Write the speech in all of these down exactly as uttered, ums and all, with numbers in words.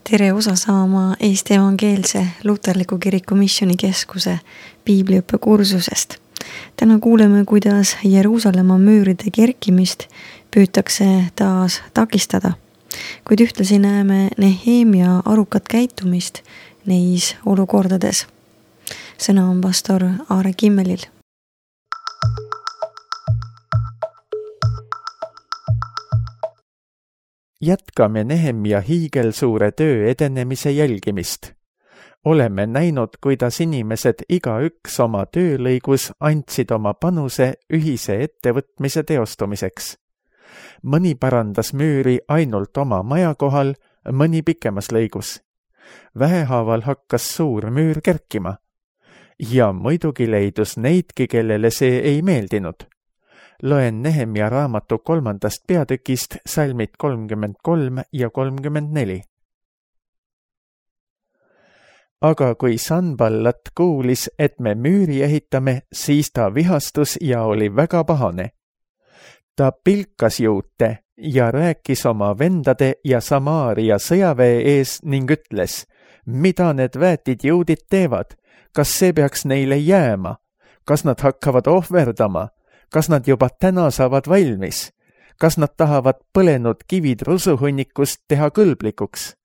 Tere osa saama Eesti Evangeelse Luterliku Kiriku Missioonikeskuse piibliõppe kursusest. Täna kuuleme, kuidas Jeruusalemma müüride kerkimist püütakse taas takistada, kuid ühtlasi näeme Nehemia arukat käitumist neis olukordades. Sõna on pastor Aare Kimmelil. Jätkame Nehemia hiigelsuure töö edenemise jälgimist. Oleme näinud, kuidas inimesed igaüks oma töölõigus andsid oma panuse ühise ettevõtmise teostumiseks. Mõni parandas müüri ainult oma maja kohal, mõni pikemas lõigus. Vähehaaval hakkas suur müür kerkima. Ja muidugi leidus neidki, kellele see ei meeldinud. Loen Nehemia raamatu kolmandast peatükist salmid kolmkümmend kolm ja kolmkümmend neli. Aga kui Sanballat kuulis, et me müüri ehitame, siis ta vihastus ja oli väga pahane. Ta pilkas juute ja rääkis oma vendade ja Samaaria sõjaväe ees ning ütles, mida need väetid juudid teevad, kas see peaks neile jääma, kas nad hakkavad ohverdama, kas nad juba täna saavad valmis, kas nad tahavad põlenud kivid rusuhunnikust teha kõlblikuks.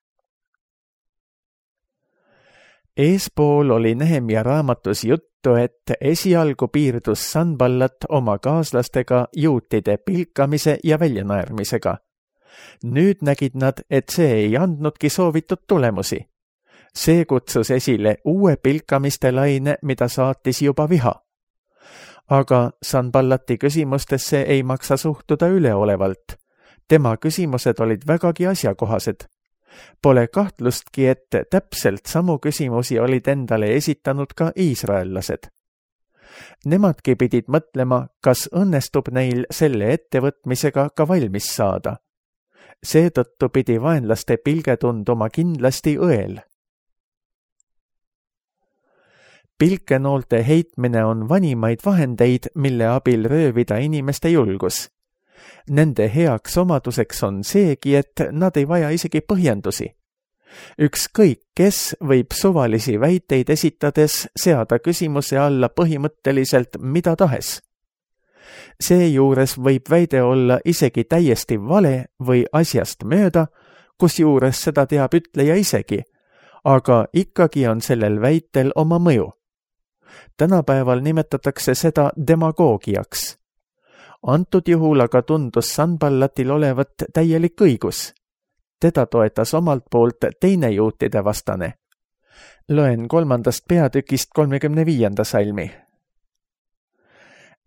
Eespool oli Nehemia raamatus juttu, et esialgu piirdus Sanballat oma kaaslastega juutide pilkamise ja väljanaermisega. Nüüd nägid nad, et see ei andnudki soovitud tulemusi. See kutsus esile uue pilkamiste laine, mida saatis juba viha. Aga Sanballati küsimustesse ei maksa suhtuda üleolevalt. Tema küsimused olid vägagi asjakohased. Pole kahtlustki, et täpselt samu küsimusi olid endale esitanud ka iisraellased. Nemadki pidid mõtlema, kas õnnestub neil selle ettevõtmisega ka valmis saada. Seetõttu pidi vaenlaste pilge tunduma kindlasti õel. Pilkenoolte heitmine on vanimaid vahendeid, mille abil röövida inimeste julgus. Nende heaks omaduseks on seegi, et nad ei vaja isegi põhjendusi. Ükskõik, kes võib suvalisi väiteid esitades seada küsimuse alla põhimõtteliselt mida tahes. Seejuures võib väide olla isegi täiesti vale või asjast mööda, kusjuures seda teab ütleja isegi, aga ikkagi on sellel väitel oma mõju. Tänapäeval nimetatakse seda demagoogiaks. Antud juhul aga tundus Sanballatil olevat täielik õigus. Teda toetas omalt poolt teine juutide vastane. Loen kolmandast peatükist kolmekümne viienda salmi.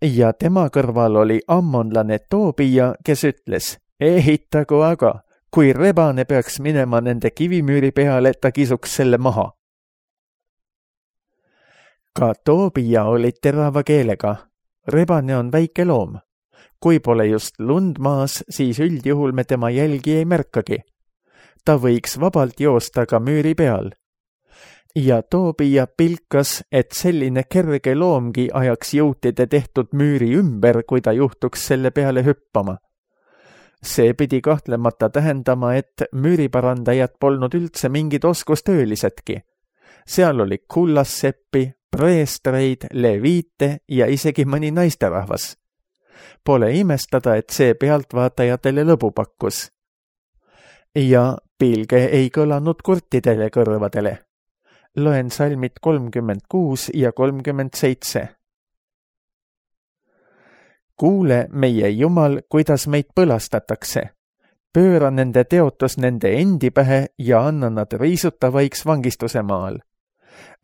Ja tema kõrval oli ammonlane Toobija, kes ütles, ehitagu aga, kui rebane peaks minema nende kivimüüri peale, ta kisuks selle maha. Ka Toobija oli terava keelega. Rebane on väike loom. Kui pole just lund maas, siis üldjuhul me tema jälgi ei märkagi. Ta võiks vabalt joosta ka müüri peal. Ja Toobija pilkas, et selline kerge loomgi ajaks juutide tehtud müüri ümber, kui ta juhtuks selle peale hüppama. See pidi kahtlemata tähendama, et müüriparandajad polnud üldse mingid oskustöölisedki. Seal oli kullasseppi, preestreid, leviite ja isegi mõni naisterahvas. Pole imestada, et see pealtvaatajatele lõbu pakkus. Ja pilge ei kõlanud kurtidele kõrvadele. Loen salmid kolmkümmend kuus ja kolmkümmend seitse. Kuule, meie Jumal, kuidas meid põlastatakse. Pööra nende teotus nende endi pähe ja anna nad riisutavaiks vangistuse maal.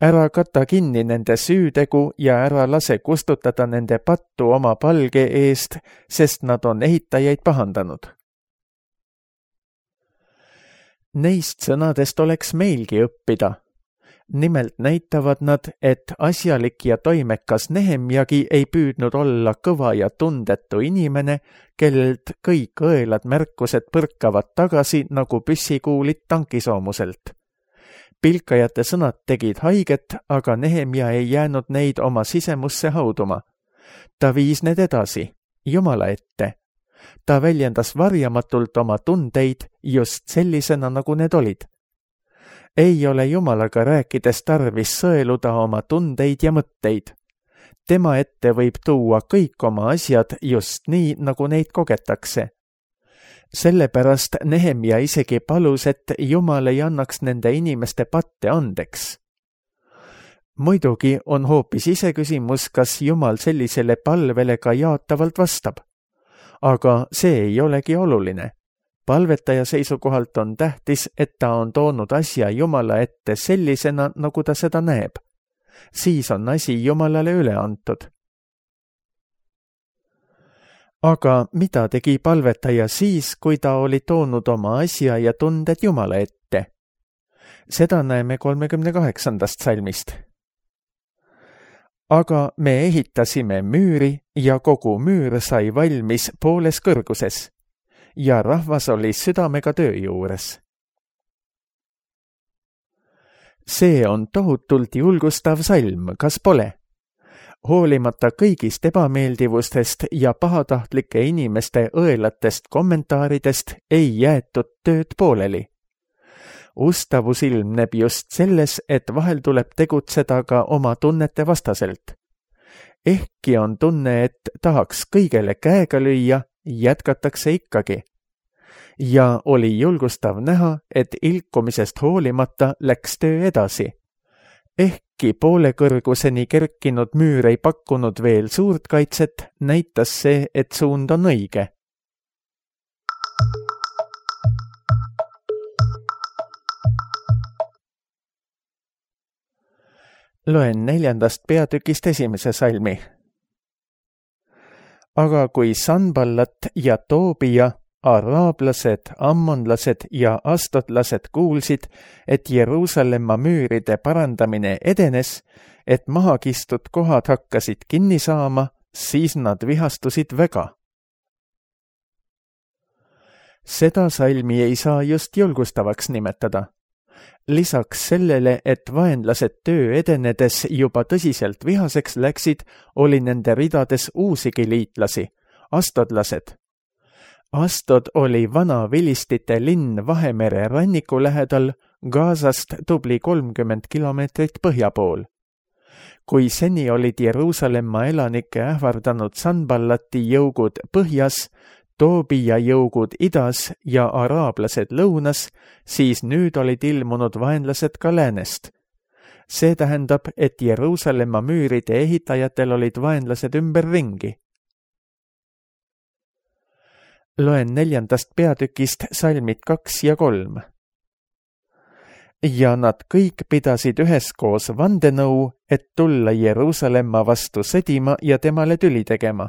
Ära kata kinni nende süütegu ja ära lase kustutada nende pattu oma palge eest, sest nad on ehitajaid pahandanud. Neist sõnadest oleks meilgi õppida. Nimelt näitavad nad, et asjalik ja toimekas Nehemjagi ei püüdnud olla kõva ja tundetu inimene, kellelt kõik õelad märkused põrkavad tagasi nagu püssikuulid tankisoomuselt. Pilkajate sõnad tegid haiget, aga Nehemja ei jäänud neid oma sisemusse hauduma. Ta viis need edasi, Jumala ette. Ta väljendas varjamatult oma tundeid just sellisena, nagu need olid. ei ole Jumalaga rääkides tarvis sõeluda oma tundeid ja mõtteid. Tema ette võib tuua kõik oma asjad just nii, nagu neid kogetakse. Sellepärast Nehemia isegi palus, et Jumal ei annaks nende inimeste patte andeks. Muidugi on hoopis iseküsimus, kas Jumal sellisele palvele ka jaatavalt vastab. Aga see ei olegi oluline. Palvetaja seisukohalt on tähtis, et ta on toonud asja Jumala ette sellisena, nagu ta seda näeb. Siis on asi Jumalale üle antud. Aga mida tegi palvetaja siis, kui ta oli toonud oma asja ja tunded Jumala ette? Seda näeme kolmekümne kaheksandast salmist. Aga me ehitasime müüri ja kogu müür sai valmis pooles kõrguses ja rahvas oli südamega töö juures. See on tohutult julgustav salm, kas pole? Hoolimata kõigist ebameeldivustest ja pahatahtlike inimeste õelatest kommentaaridest ei jäetud tööd pooleli. Ustavus ilmneb just selles, et vahel tuleb tegutseda ka oma tunnete vastaselt. Ehkki on tunne, et tahaks kõigele käega lüüa, jätkatakse ikkagi. Ja oli julgustav näha, et ilkumisest hoolimata läks töö edasi. Ehkki poole kõrguseni kerkinud müür ei pakkunud veel suurt kaitset, näitas see, et suund on õige. Loen neljandast peatükist esimese salmi. Aga kui Sanballat ja Toobia, araablased, ammonlased ja astotlased kuulsid, et Jeruusalemma müüride parandamine edenes, et mahakistud kohad hakkasid kinni saama, siis nad vihastusid väga. Seda salmi ei saa just julgustavaks nimetada. Lisaks sellele, et vaenlased töö edenedes juba tõsiselt vihaseks läksid, oli nende ridades uusigi liitlasi, astodlased. Astod oli vana vilistite linn Vahemere ranniku lähedal, Gazast tubli kolmkümmend kilomeetrit põhja pool. Kui seni olid Jeruusalemma elanikke ähvardanud Sanballati jõugud põhjas, Toobia jõugud idas ja araablased lõunas, siis nüüd olid ilmunud vaenlased ka läänest. See tähendab, et Jeruusalemma müüride ehitajatel olid vaenlased ümberringi. Loen neljandast peatükist salmid kaks ja kolm. Ja nad kõik pidasid üheskoos vandenõu, et tulla Jeruusalemma vastu sõdima ja temale tüli tegema.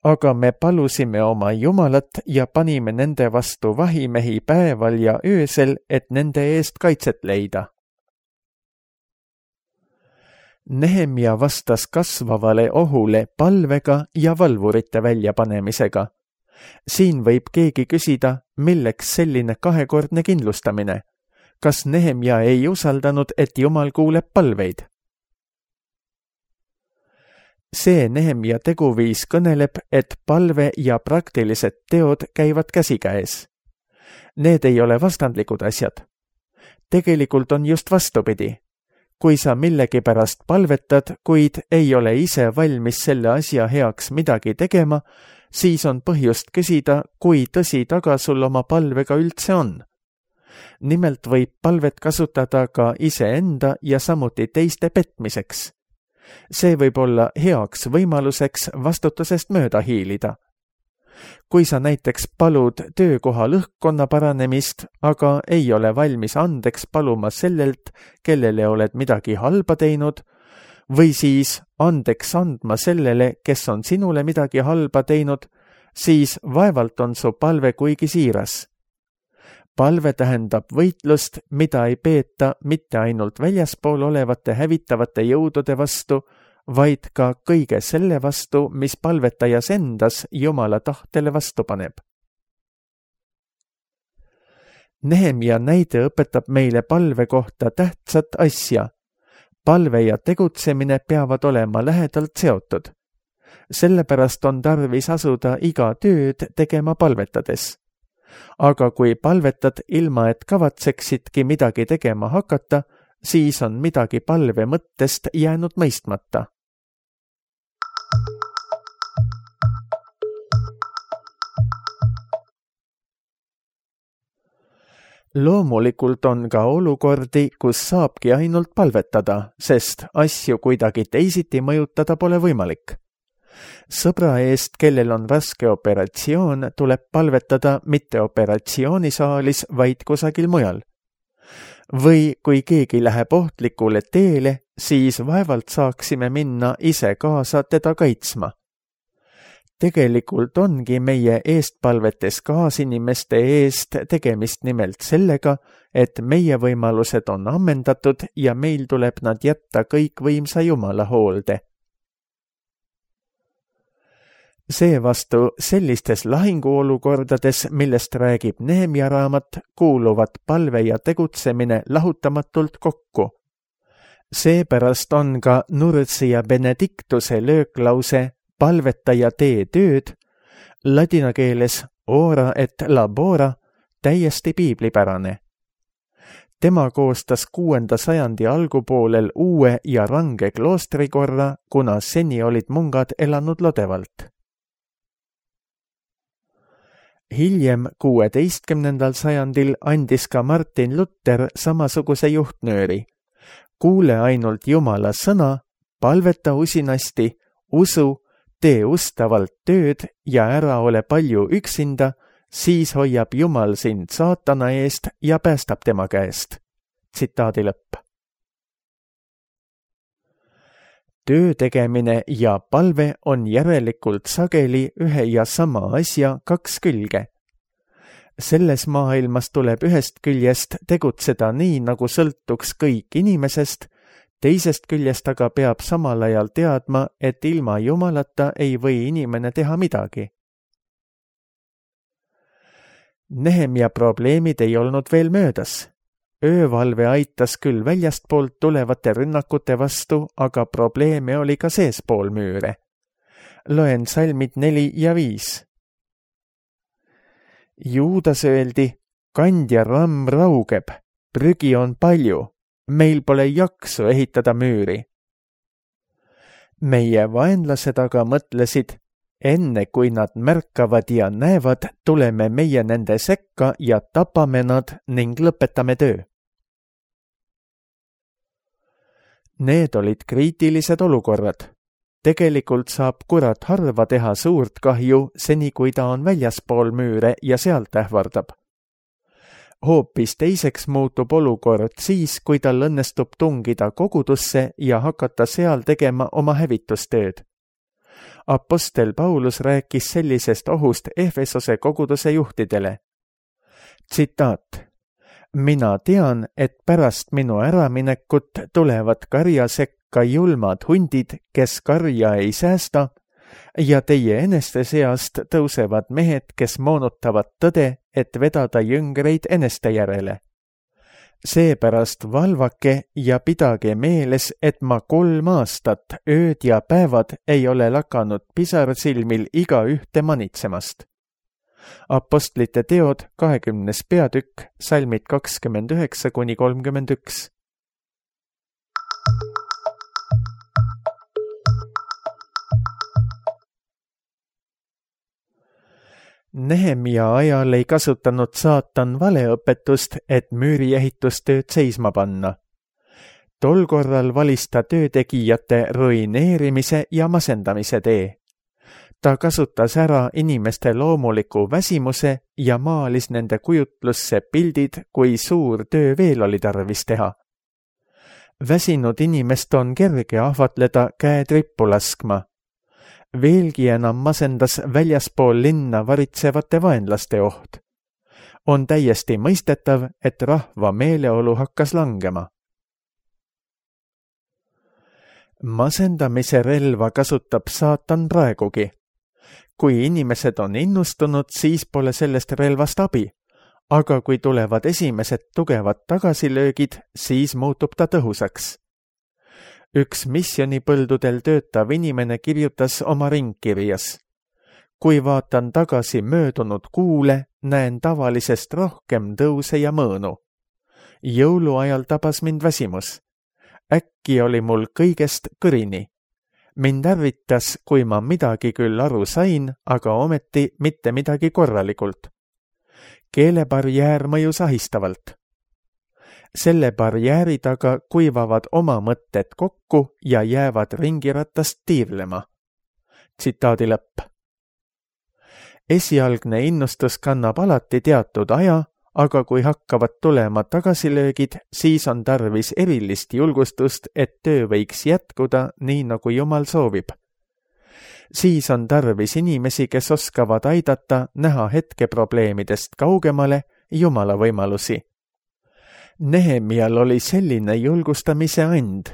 Aga me palusime oma Jumalat ja panime nende vastu vahimehi päeval ja öösel, et nende eest kaitset leida. Nehemia vastas kasvavale ohule palvega ja valvurite väljapanemisega. Siin võib keegi küsida, milleks selline kahekordne kindlustamine. Kas Nehemia ei usaldanud, et Jumal kuuleb palveid? See Nehemia teguviis kõneleb, et palve ja praktilised teod käivad käsikäes. Need ei ole vastandlikud asjad. Tegelikult on just vastupidi. Kui sa millegipärast palvetad, kuid ei ole ise valmis selle asja heaks midagi tegema, siis on põhjust küsida, kui tõsi taga sul oma palvega üldse on. Nimelt võib palvet kasutada ka iseenda ja samuti teiste petmiseks. See võib olla heaks võimaluseks vastutusest mööda hiilida. Kui sa näiteks palud töökoha lõhkkonna paranemist, aga ei ole valmis andeks paluma sellelt, kellele oled midagi halba teinud, või siis andeks andma sellele, kes on sinule midagi halba teinud, siis vaevalt on su palve kuigi siiras. Palve tähendab võitlust, mida ei peeta mitte ainult väljaspool olevate hävitavate jõudude vastu, vaid ka kõige selle vastu, mis palvetajas endas Jumala tahtele vastu paneb. Nehemia näide õpetab meile palve kohta tähtsat asja. Palve ja tegutsemine peavad olema lähedalt seotud. Sellepärast on tarvis asuda iga tööd tegema palvetades. aga kui palvetad ilma, et kavatseksidki midagi tegema hakata, siis on midagi palve mõttest jäänud mõistmata. Loomulikult on ka olukordi, kus saabki ainult palvetada, sest asju kuidagi teisiti mõjutada pole võimalik. Sõbra eest, kellel on raske operatsioon, tuleb palvetada mitte operatsioonisaalis, vaid kusagil mujal. Või kui keegi läheb ohtlikule teele, siis vaevalt saaksime minna ise kaasa teda kaitsma. Tegelikult ongi meie eestpalvetes kaasinimeste eest tegemist nimelt sellega, et meie võimalused on ammendatud ja meil tuleb nad jätta kõikvõimsa Jumala hoolde. Seevastu sellistes lahinguolukordades, millest räägib Nehemia raamat, kuuluvad palve ja tegutsemine lahutamatult kokku. Seepärast on ka Nursi ja Benediktuse lööklause palveta ja tee tööd, ladina keeles ora et labora, täiesti piiblipärane. Tema koostas kuuenda sajandi algupoolel uue ja range kloostrikorra, kuna seni olid mungad elanud lodevalt. Hiljem kuueteistkümnendal sajandil andis ka Martin Luther samasuguse juhtnööri. Kuule ainult Jumala sõna, palveta usinasti, usu, tee ustavalt tööd ja ära ole palju üksinda, siis hoiab Jumal sind saatana eest ja päästab tema käest. Tsitaadi lõpp. Töö tegemine ja palve on järelikult sageli ühe ja sama asja kaks külge. Selles maailmas tuleb ühest küljest tegutseda nii, nagu sõltuks kõik inimesest, teisest küljest aga peab samal ajal teadma, et ilma Jumalata ei või inimene teha midagi. Nehemia probleemid ei olnud veel möödas. Öövalve aitas küll väljastpoolt tulevate rünnakute vastu, aga probleeme oli ka seespool müüre. Loen salmid neli ja viis. Juudas öeldi, kandja ramm raugeb, prügi on palju, meil pole jaksu ehitada müüri. Meie vaenlased aga mõtlesid, enne kui nad märkavad ja näevad, tuleme meie nende sekka ja tapame nad ning lõpetame töö. Need olid kriitilised olukorrad. Tegelikult saab kurat harva teha suurt kahju, seni kui ta on väljaspool müüre ja sealt ähvardab. Hoopis teiseks muutub olukord siis, kui tal õnnestub tungida kogudusse ja hakata seal tegema oma hävitustööd. Apostel Paulus rääkis sellisest ohust Efesose koguduse juhtidele. Tsitaat. Mina tean, et pärast minu äraminekut tulevad karja sekka julmad hundid, kes karja ei säästa, ja teie eneste seast tõusevad mehed, kes moonutavad tõde, et vedada jüngreid eneste järele. Seepärast valvake ja pidage meeles, et ma kolm aastat, ööd ja päevad ei ole lakanud pisarsilmil iga ühte manitsemast. Apostlite teod kahekümnes peatükk, salmid kakskümmend üheksa kuni kolmkümmend üks. Nehemia ajal ei kasutanud saatan valeõpetust, et müüriehitustööd seisma panna. Tol korral valis ta töötegijate ruineerimise ja masendamise tee. Ta kasutas ära inimeste loomuliku väsimuse ja maalis nende kujutlusse pildid, kui suur töö veel oli tarvis teha. Väsinud inimest on kerge ahvatleda käed rippu laskma. Veelgi enam masendas väljaspool linna varitsevate vaenlaste oht. On täiesti mõistetav, et rahva meeleolu hakkas langema. Masendamise relva kasutab saatan praegugi. Kui inimesed on innustunud, siis pole sellest relvast abi, aga kui tulevad esimesed tugevad tagasilöögid, siis muutub ta tõhusaks. Üks missionipõldudel töötav inimene kirjutas oma ringkirjas. kui vaatan tagasi möödunud kuule, näen tavalisest rohkem tõuse ja mõõnu. Jõuluajal tabas mind väsimus. Äkki oli mul kõigest kõrini. Mind ärritas, kui ma midagi küll aru sain, aga ometi mitte midagi korralikult. Keelebarjäär mõjus ahistavalt. Selle barjääri taga kuivavad oma mõtted kokku ja jäävad ringiratast tiirlema. Tsitaadi lõpp. Esialgne innustus kannab alati teatud aja, aga kui hakkavad tulema tagasilöögid, siis on tarvis erilist julgustust, et töö võiks jätkuda nii, nagu Jumal soovib. Siis on tarvis inimesi, kes oskavad aidata näha hetkeprobleemidest kaugemale Jumala võimalusi. Nehemial oli selline julgustamise and,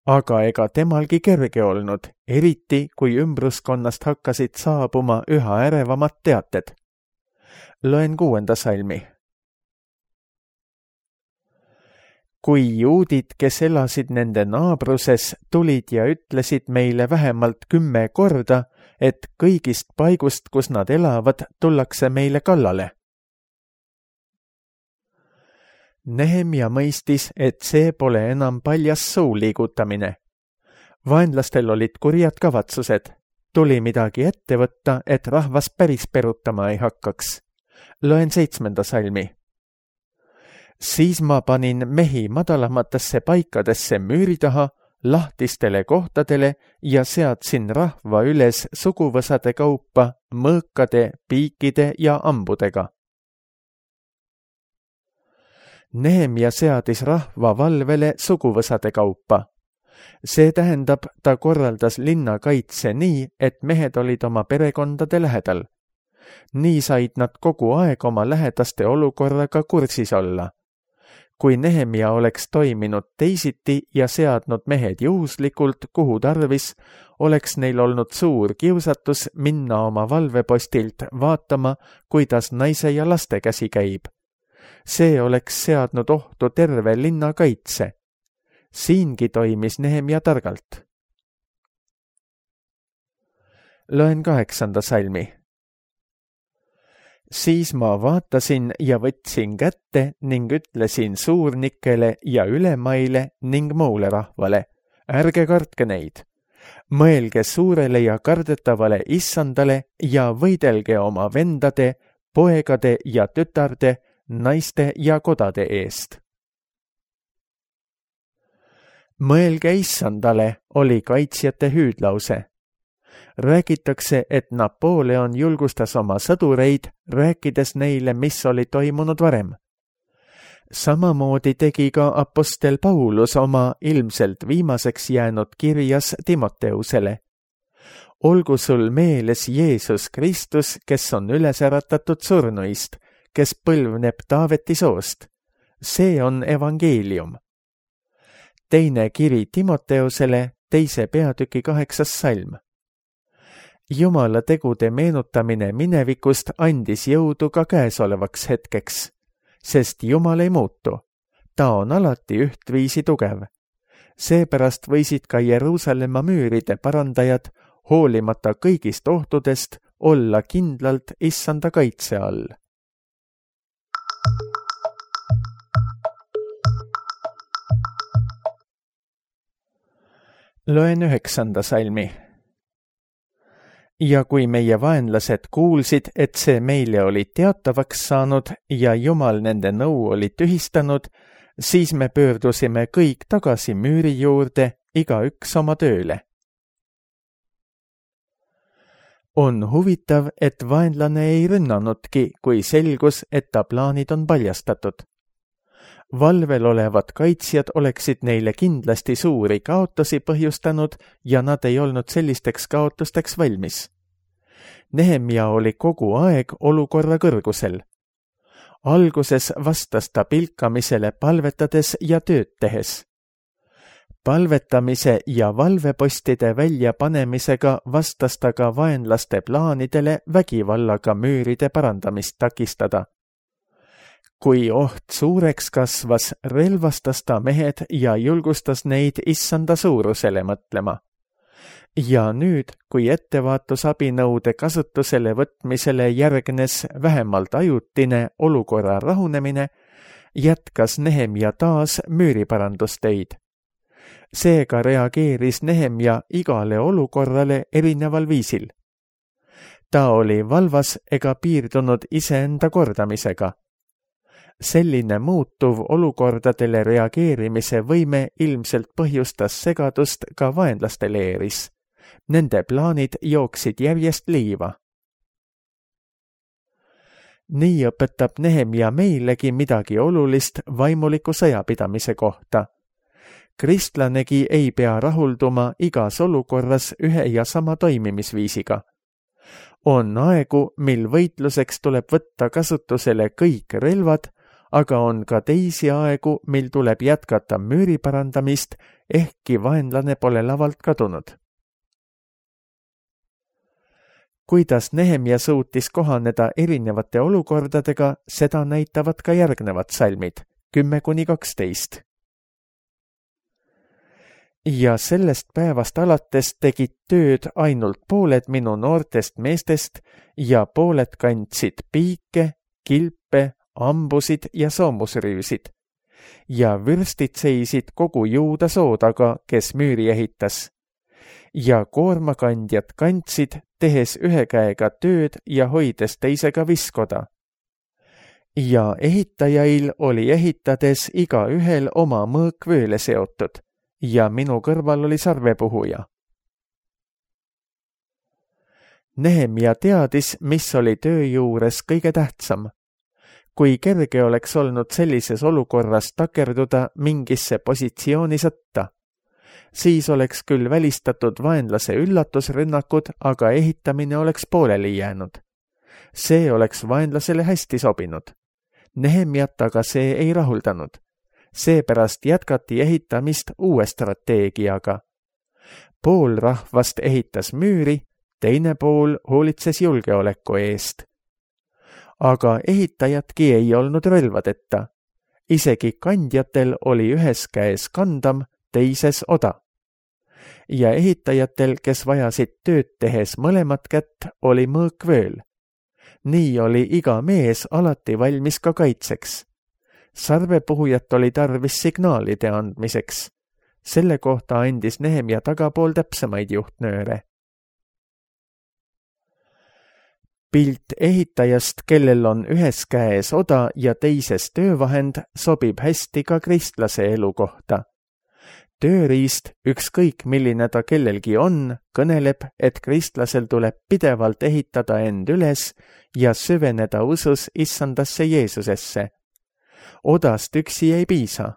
aga ega temalgi kerge olnud, eriti kui ümbruskonnast hakkasid saabuma üha ärevamad teated. Loen kuuenda salmi. Kui juudid, kes elasid nende naabruses, tulid ja ütlesid meile vähemalt kümme korda, et kõigist paigust, kus nad elavad, tullakse meile kallale. Nehemia mõistis, et see pole enam paljas suu liigutamine. Vaenlastel olid kurjad kavatsused. Tuli midagi ette võtta, et rahvas päris perutama ei hakkaks. Loen seitsmenda salmi. Siis ma panin mehi madalamatesse paikadesse müüri taha, lahtistele kohtadele ja seadsin rahva üles suguvõsade kaupa, mõõkade, piikide ja ambudega. Nehemia seadis rahva valvele suguvõsade kaupa. See tähendab, ta korraldas linna kaitse nii, et mehed olid oma perekondade lähedal. Nii said nad kogu aeg oma lähedaste olukorraga kursis olla. Kui Nehemia oleks toiminud teisiti ja seadnud mehed juhuslikult, kuhu tarvis, oleks neil olnud suur kiusatus minna oma valvepostilt vaatama, kuidas naise ja laste käsi käib. See oleks seadnud ohtu terve linna kaitse. Siingi toimis Nehemia targalt. Loen kaheksanda salmi. Siis ma vaatasin ja võtsin kätte ning ütlesin suurnikele ja ülemaile ning muule rahvale. Ärge kartke neid. Mõelge suurele ja kardetavale issandale ja võidelge oma vendade, poegade ja tütarde, naiste ja kodade eest. Mõelge issandale oli kaitsjate hüüdlause. Räägitakse, et Napoleon julgustas oma sõdureid, rääkides neile, mis oli toimunud varem. Samamoodi tegi ka apostel Paulus oma ilmselt viimaseks jäänud kirjas Timoteusele. Olgu sul meeles Jeesus Kristus, kes on üles äratatud surnuist, kes põlvneb Taaveti soost. See on evangeelium. Teine kiri Timoteusele, teise peatüki kaheksas salm. Jumala tegude meenutamine minevikust andis jõudu ka käesolevaks hetkeks, sest Jumal ei muutu. Ta on alati ühtviisi tugev. Seepärast võisid ka Jeruusalemma müüride parandajad, hoolimata kõigist ohtudest, olla kindlalt issanda kaitse all. Loen üheksanda salmi. Ja kui meie vaenlased kuulsid, et see meile oli teatavaks saanud ja Jumal nende nõu oli tühistanud, siis me pöördusime kõik tagasi müüri juurde, igaüks oma tööle. On huvitav, et vaenlane ei rünnanudki, kui selgus, et ta plaanid on paljastatud. Valvel olevad kaitsjad oleksid neile kindlasti suuri kaotusi põhjustanud ja nad ei olnud sellisteks kaotusteks valmis. Nehemia oli kogu aeg olukorra kõrgusel. Alguses vastas ta pilkamisele palvetades ja tööd tehes. Palvetamise ja valvepostide väljapanemisega vastas ta ka vaenlaste plaanidele vägivallaga müüride parandamist takistada. Kui oht suureks kasvas, relvastas ta mehed ja julgustas neid issanda suurusele mõtlema. Ja nüüd, kui ettevaatusabinõude kasutusele võtmisele järgnes vähemalt ajutine olukorra rahunemine, jätkas Nehemja taas müüriparandustöid. Seega reageeris Nehemja igale olukorrale erineval viisil. Ta oli valvas ega piirdunud iseenda kordamisega. Selline muutuv olukordadele reageerimise võime ilmselt põhjustas segadust ka vaenlaste leeris. Nende plaanid jooksid järjest liiva. Nii õpetab Nehemja meilegi midagi olulist vaimuliku sõjapidamise kohta. Kristlanegi ei pea rahulduma igas olukorras ühe ja sama toimimisviisiga. On aegu, mil võitluseks tuleb võtta kasutusele kõik relvad, aga on ka teisi aegu, mil tuleb jätkata müüri parandamist, ehkki vaenlane pole lavalt kadunud. Kuidas Nehemja suutis kohaneda erinevate olukordadega, seda näitavad ka järgnevad salmid, kümme kuni kaksteist. Ja sellest päevast alates tegid tööd ainult pooled minu noortest meestest ja pooled kandsid piike, kilpe, ambusid ja soomusrüüsid. Ja vürstid seisid kogu Juuda soo taga, kes müüri ehitas. Ja koormakandjad kandsid, tehes ühe käega tööd ja hoides teisega viskoda. Ja ehitajail oli ehitades iga ühel oma mõõk vööle seotud. Ja minu kõrval oli sarvepuhuja. Nehemja teadis, mis oli töö juures kõige tähtsam. Kui kerge oleks olnud sellises olukorras takerduda mingisse positsiooni sõtta, siis oleks küll välistatud vaenlase üllatusrünnakud, aga ehitamine oleks pooleli jäänud. See oleks vaenlasele hästi sobinud. Nehemjat aga see ei rahuldanud. Seepärast jätkati ehitamist uue strateegiaga. Pool rahvast ehitas müüri, teine pool hoolitses julgeoleku eest. Aga ehitajatki ei olnud relvadeta. Isegi kandjatel oli ühes käes kandam, teises oda. Ja ehitajatel, kes vajasid tööd tehes mõlemat kätt, oli mõõk vööl. Nii oli iga mees alati valmis ka kaitseks. Sarvepuhujat oli tarvis signaalide andmiseks. Selle kohta andis Nehemja tagapool täpsemaid juhtnööre. Pilt ehitajast, kellel on ühes käes oda ja teises töövahend, sobib hästi ka kristlase elu kohta. Tööriist, ükskõik milline ta kellelgi on, kõneleb, et kristlasel tuleb pidevalt ehitada end üles ja süveneda usus issandasse Jeesusesse. Odast üksi ei piisa.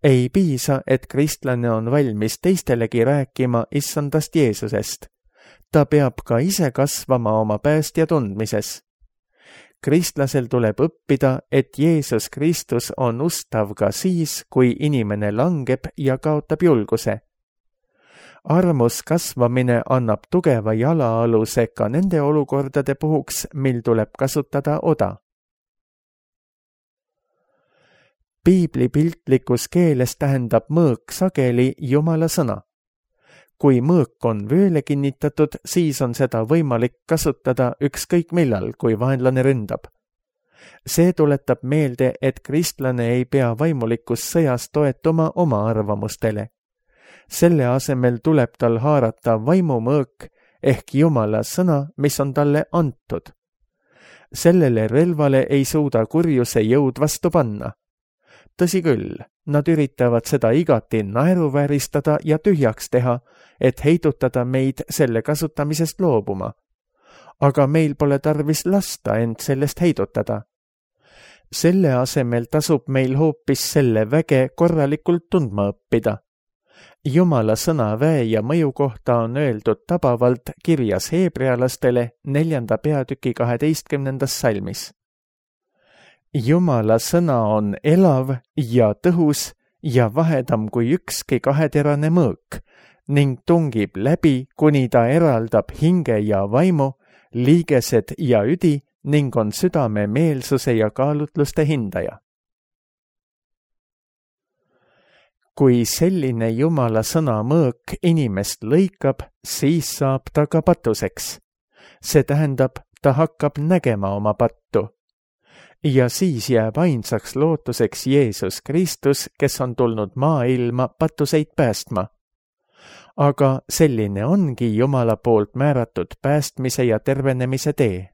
Ei piisa, et kristlane on valmis teistelegi rääkima issandast Jeesusest. Ta peab ka ise kasvama oma päästja tundmises. Kristlasel tuleb õppida, et Jeesus Kristus on ustav ka siis, kui inimene langeb ja kaotab julguse. Armus kasvamine annab tugeva jalaaluse ka nende olukordade puhuks, mil tuleb kasutada oda. Piibli piltlikus keeles tähendab mõõk sageli Jumala sõna. Kui mõõk on vööle kinnitatud, siis on seda võimalik kasutada ükskõik millal, kui vaenlane ründab. See tuletab meelde, et kristlane ei pea vaimulikus sõjas toetuma oma arvamustele. Selle asemel tuleb tal haarata vaimumõõk ehk Jumala sõna, mis on talle antud. Sellele relvale ei suuda kurjuse jõud vastu panna. Tõsi küll, nad üritavad seda igati naeruvääristada ja tühjaks teha, et heidutada meid selle kasutamisest loobuma. Aga meil pole tarvis lasta end sellest heidutada. Selle asemel tasub meil hoopis selle väge korralikult tundma õppida. Jumala sõna väe ja mõju kohta on öeldud tabavalt kirjas heebrealastele neljanda peatüki kaheteistkümnendas salmis. Jumala sõna on elav ja tõhus ja vahedam kui ükski kaheterane mõõk ning tungib läbi, kuni ta eraldab hinge ja vaimu, liigesed ja üdi ning on südame meelsuse ja kaalutluste hindaja. kui selline Jumala sõna mõõk inimest lõikab, siis saab ta ka patuseks. See tähendab, ta hakkab nägema oma pattu. Ja siis jääb ainsaks lootuseks Jeesus Kristus, kes on tulnud maailma patuseid päästma. Aga selline ongi Jumala poolt määratud päästmise ja tervenemise tee.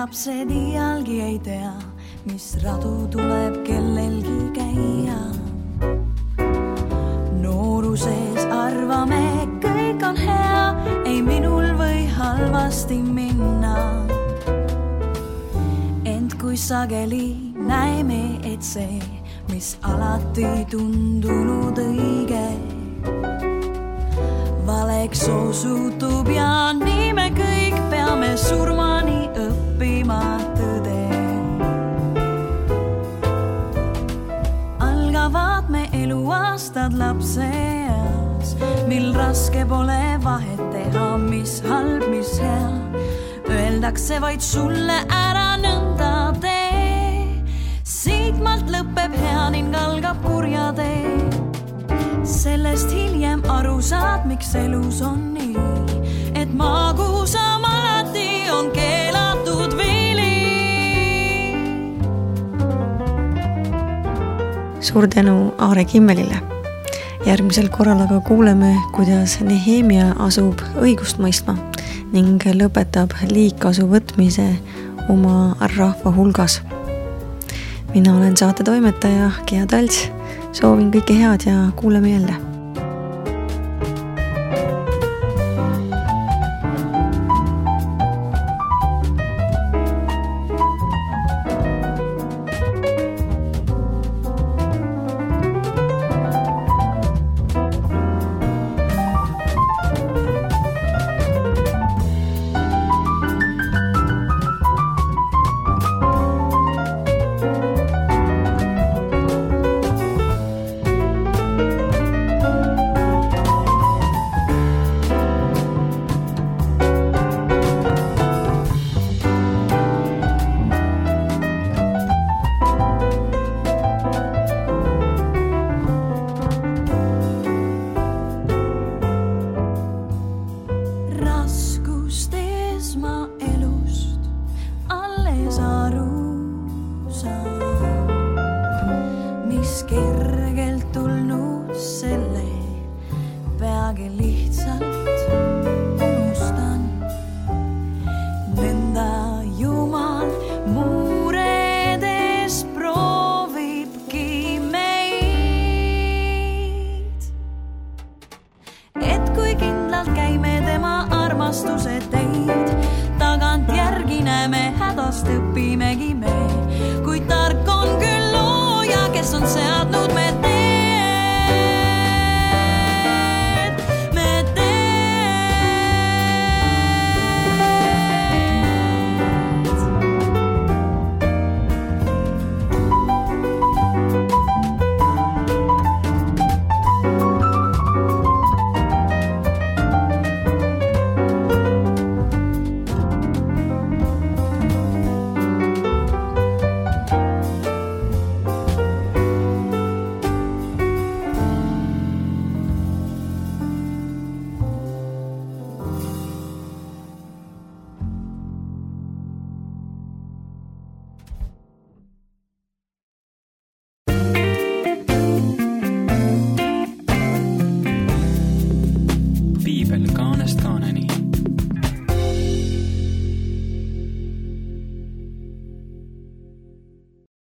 Lapsed iialgi ei tea, mis radu tuleb kellelgi käia. Nooruses arvame, kõik on hea, ei minul või halvasti minna. Ent kui sageli näeme, et see, mis alati tundunud õige, valeks osutub ja nii me kõik peame surmani õppima tõde. Algavad me eluaastad lapseeas, mil raske pole vahet teha, mis halb, mis hea. Öeldakse vaid sulle ära nõnda tee, siitmalt lõpeb hea ning algab kurja tee. Sellest hiljem aru saad, miks elus on nii, et magusam alati on keelatud vili. Suur tänu Aare Kimmelile. Järgmisel korral aga kuuleme, kuidas Nehemia asub õigust mõistma ning lõpetab liigkasu võtmise oma rahva hulgas. Mina olen saate toimetaja Gea Talts. Soovin kõike head ja kuuleme jälle. Õppimegi me, kui tark on küll looja, kes on seadnud me